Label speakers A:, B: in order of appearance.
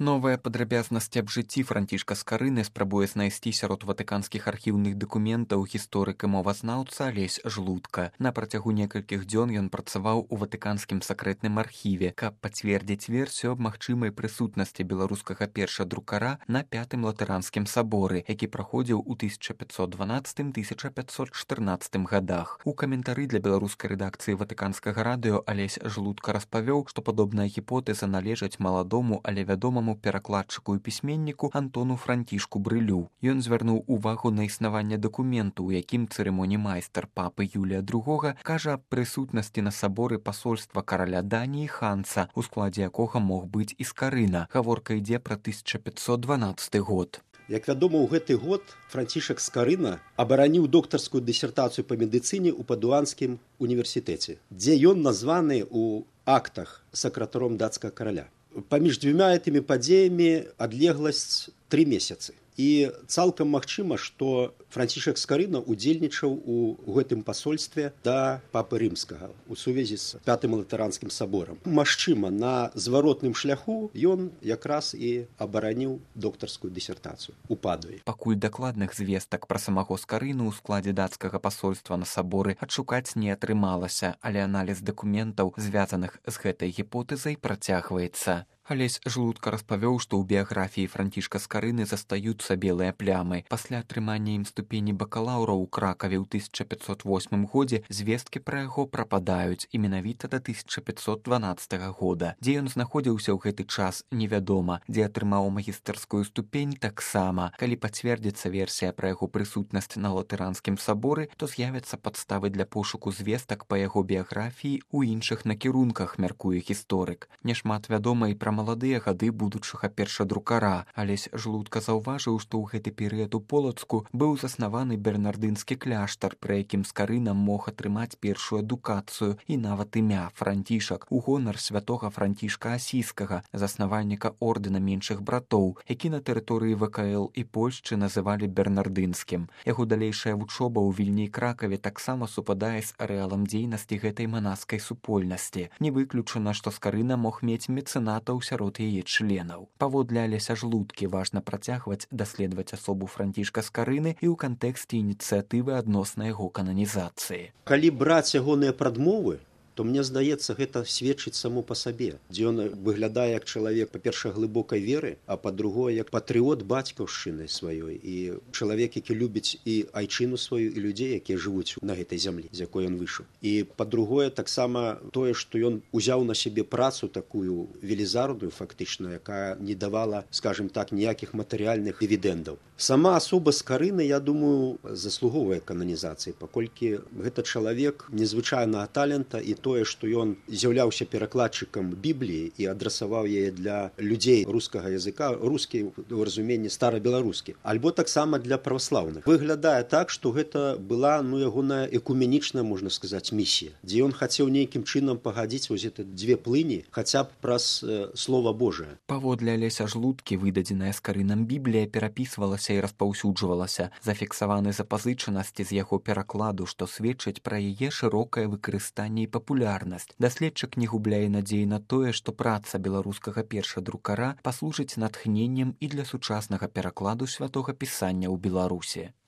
A: Новыя падрабязнасці аб жыцці Францішка Скарыны спрабуе знайсці сярод ватыканскіх архіўных дакументаў гісторык і мовазнаўца Алесь Жлудка. На працягу некалькіх дзён ён працаваў у ватыканскім сакрэтным архіве, каб пацвердзіць версію аб магчымай прысутнасці беларускага першадрукара на пятым латыранскім саборы, які праходзіў у 1512-1514 годах. У каментары для беларускай рэдакцыі ватыканскага радыё Алесь Жлудка распавёў, што падобная гіпотэза належаць маладому, але вядомаму перакладчыку і пісьменніку Антону Францішку Брылю. Ён звярнуў увагу на існаванне дакументу, у якім цырымоній-майстар папы Юлія II кажа аб прысутнасці на саборы пасольства караля Даніі Ханца, у складзе якога мог быць і Скарына. Гаворка ідзе пра 1512 год.
B: Як вядома, у гэты год Францішак Скарына абараніў доктарскую дысертацыю па медыцыне ў Падуанскім універсітэце, дзе ён названы ў актах сакратаром дацкага караля. Паміж дзвюма гэтымі падзеямі адлегласць 3 месяцы. І цалкам магчыма, што Францішак Скарына удзельнічаў у гэтым пасольстве да папы рымскага у сувязі з пятым латыранскім саборам. Магчыма, на зваротным шляху ён якраз і абараніў доктарскую дысертацыю у Падуі.
A: Пакуль дакладных звестак пра самого Скарыну ў складзе дацкага пасольства на саборы адшукаць не атрымалася, але аналіз дакументаў, звязаных з гэтай гіпотэзай, працягваецца. Алесь Жлудка распавёў, што ў біяграфіі Францішка Скарыны застаюцца белыя плямы. Пасля атрымання ім ступені бакалаўра ў Кракаве ў 1508 годзе звесткі пра яго прападаюць, і менавіта да 1512 года. Дзе ён знаходзіўся ў гэты час, невядома, дзе атрымаў магістарскую ступень таксама. Калі пацвердзіцца версія пра яго прысутнасць на латыранскім саборы, то з'явяцца падставы для пошуку звестак па яго біяграфіі ў іншых накірунках, мяркуе гісторык. Няшмат вядома і пра маладыя гады будучага першадрукара. Алесь Жлудка заўважыў, што ў гэты перыяд у Полацку быў заснаваны бернардынскі кляштар, пры якім Скарына мог атрымаць першую адукацыю і нават імя Францішак у гонар святога Францішка Асійскага, заснавальніка ордэна меншых братоў, які на тэрыторыі ВКЛ і Польшчы называлі бернардынскім. Яго далейшая вучоба ў Вільні і Кракаве таксама супадае з арэалам дзейнасці гэтай манаскай супольнасці. Не выключана, што Скарына мог мець мецэнатаў сярод яе членаў. Паводле Алеся Жлудкі важна працягваць даследаваць асобу Францішка Скарыны і ў кантэксце ініцыятывы адносна яго кананізацыі.
B: Калі браць ягоныя прадмовы, то мне здаецца, гэта сведчыць само па сабе, дзе ён выглядае як чалавек, па-першае, глыбокай веры, а па-другое, як патрыот бацькаўшчыны сваёй і чалавек, які любіць і айчыну сваю, і людзей, якія жывуць на гэтай зямлі, з якой ён выйшаў. І па-другое, таксама тое, што ён узяў на сябе працу такую велізарную, фактычна, якая не давала, скажем так, ніякіх матэрыяльных дывідэндаў. Сама асоба Скарыны, я думаю, заслугоўвае кананізацыі, паколькі гэта чалавек незвычайнага талента, і тое, што ён з'яўляўся перакладчыкам Бібліі і адрасаваў яе для людзей рускага языка, рускі ў разуменні старабеларускі, альбо таксама для праваслаўных. Выглядае так, што гэта была ягоная экуменічная, можна сказаць, місія, дзе ён хацеў нейкім чынам пагадзіць вось гэты дзве плыні, хаця б праз Слова Божае.
A: Паводле Алеся Жлудкі, выдадзеная Скарынам Біблія перапісвалася і распаўсюджвалася. Зафіксаваны запазычанасці з яго перакладу, што сведчаць пра яе шырокае выкарыстанне і папулярнасць. Даследчык не губляе надзеі на тое, што праца беларускага першадрукара паслужыць натхненнем і для сучаснага перакладу святога пісання ў Беларусі.